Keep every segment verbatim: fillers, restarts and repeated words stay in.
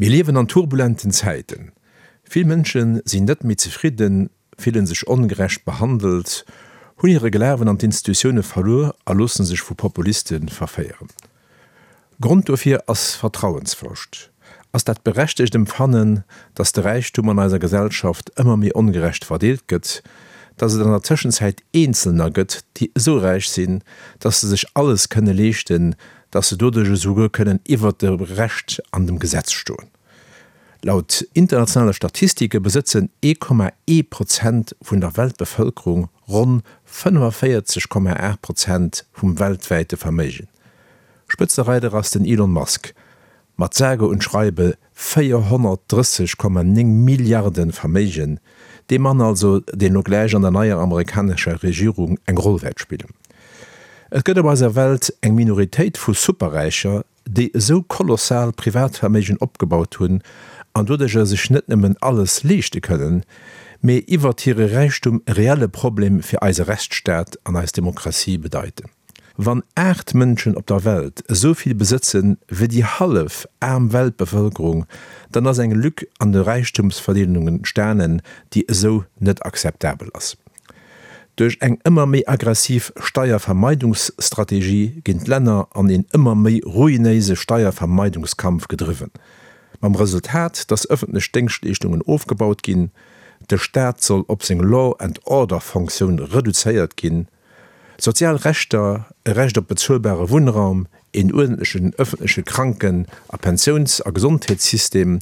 Mir liewen an turbulenten Zäiten. Vill Mënsche sinn net méi zefridden, fillen sech ongerecht behandelt, hunn hire Glawen an d'Institutioune verluer a loosse sech vu Populiste verféieren. Grond dofir ass Vertrauensverloscht, ass dat berechtegt Empfannen, dass de Räichtum an eiser Gesellschaft ëmmer méi ongerecht verdeelt gëtt, dass et an der Tëschenzäit Eenzelner gëtt, déi esou räich sinn, dass se sech alles kënne leeschten, dass se doduerch esouguer kënnen iwwert dem Recht an dem Gesetz stoen. Laut internationale Statistike besëtzen ee Komma ee Prozent vun der Weltbevëlkerung ronn fënnefenvéierzeg Komma aacht Prozent vum weltwäite Verméigen. Spëtzereider ass den Elon Musk mat sage und schreibe véierhonnertdrësseg Komma néng Milliarden Verméigen, dee Mann also, deen elo gläich an der neier amerikanescher Regierung eng Roll wäert spillen. Et gëtt op eiser Welt eng Minoritéit vu Superräicher, déi esou kolossal Privatverméigen opgebaut hunn an doduercher sech net nëmmen alles leeschte kënnen, mee iwwert hire Räichtum e reelle Problem fir eise Rechtsstaat an eis Demokratie bedeiten. Wann aacht Mënschen op der Welt esou vill besëtzen wéi déi hallef aarm Weltbevëlkerung, dann ass eng Lück an de Räichtumsverdeelungen entstanen, déi esou net akzeptabel ass. Duerch eng ëmmer méi aggressiv Steiervermeidungsstrategie ginn d'Länner an een ëmmer méi ruinéise Steiervermeidungskampf gedriwwen, mam Resultat, dass ëffentlech Déngschtleeschtungen ofgebaut ginn, de Staat soll op seng Law and Order Fonctioun reduzéiert ginn, sozial Rechter, e Recht op bezuelbare Wunnraum, een uerdentlechen ëffentleche Kranken a Pensiouns a Gesondheetssystem,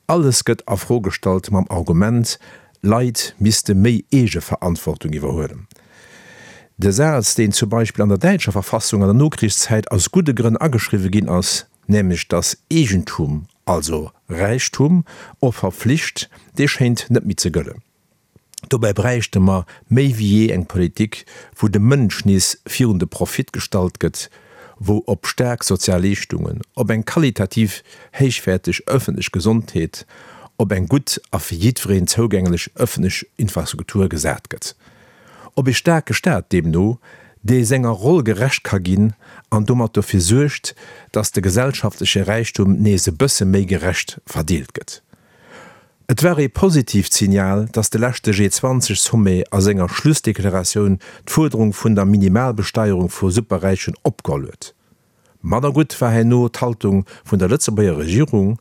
alles gëtt a Fro gestallt mam Argument, Leit misste méi Eegeverantwortung iwwerhuelen. De Saz, deen zum Beispill an der däitscher Verfassung an der Nokrichszäit aus gudde Grënn ageschriwwe ginn ass, nämlech datt Eegentum, also Räichtum, och verflicht, dee schéint net méi ze gëllen. Dobäi bräichte mer méi wéi jee eng Politik, wou de Mënsch nees virun de Profit gestallt gëtt, wou op staark sozial Leeschtungen, op eng qualitativ héichwäerteg ëffentlech Gesondheet, op eng gutt a fir jiddwereen zougänglech ëffentlech Infrastruktur gesat gëtt. Op ee staarke Staat deemno, dee senger Roll gerecht ka ginn an domat dofir suergt, datt de gesellschaftleche Räichtum nees e bësse méi gerecht verdeelt gëtt. Et war ee positiivt Signal, datt de leschte G zwanzeg Sommet a senger Schlussdeklaratioun d'Fuerderung vun der Minimalbesteierung vu Superräichen opgeholl huet. Manner gutt war herno d'Haltung vun der Lëtzebuerger Regierung,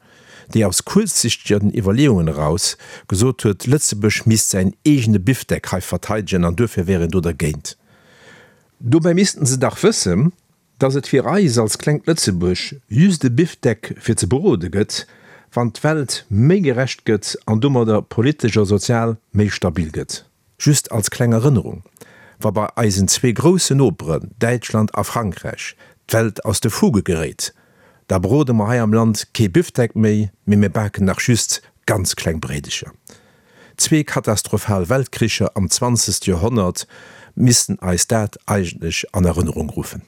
déi aus kuerzsichtegen Iwwerleeungen eraus gesot huet, Lëtzebuerg misst säin eegene Bifdeck hei verteidegen an duerfir wär een do dergéint. Dobäi missten se dach wëssen, datt et fir eis als klengt Lëtzebuerg just e Bifdeck fir ze brode gëtt, wann d'Welt méi gerecht gëtt an domadder politesch a sozial méi stabil gëtt. Just als kleng Erënnerung, Wa bei eisen zwee groussen Noperen, Däitschland a Frankräich, d'Welt aus de Fuge geréit, da brode mer hei am Land kee Bifdeck méi, mee mir baken nach just ganz kleng Bréidecher. Zwee katastrophal Weltkricher am zwanzegste Joerhonnert missten eis dat eigentlech an Erënnerung ruffen.